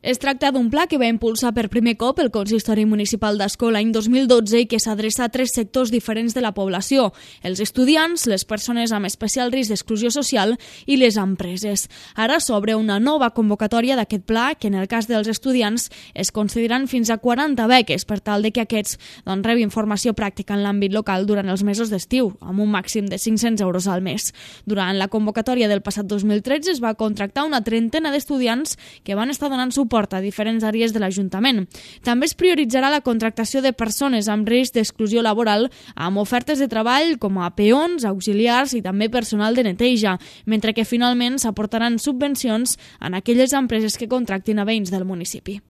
Es tracta d'un pla que va impulsar per primer cop el Consistori Municipal d'Ascó l'any 2012 i que s'adreça a 3 sectors diferents de la població: els estudiants, les persones amb especial risc d'exclusió social i les empreses. Ara s'obre una nova convocatòria d'aquest pla que en el cas dels estudiants es concediran fins a 40 beques per tal de que aquests rebin formació pràctica en l'àmbit local durant els mesos d'estiu, amb un màxim de 500 euros al mes. Durant la convocatòria del passat 2013 es va contractar una trentena d'estudiants que van estar donant suport a diferents àrees de l'Ajuntament. També es prioritzarà la contractació de persones amb risc d'exclusió laboral amb ofertes de treball com a peons, auxiliars i també personal de neteja, mentre que finalment s'aportaran subvencions en aquelles empreses que contractin a veïns del municipi.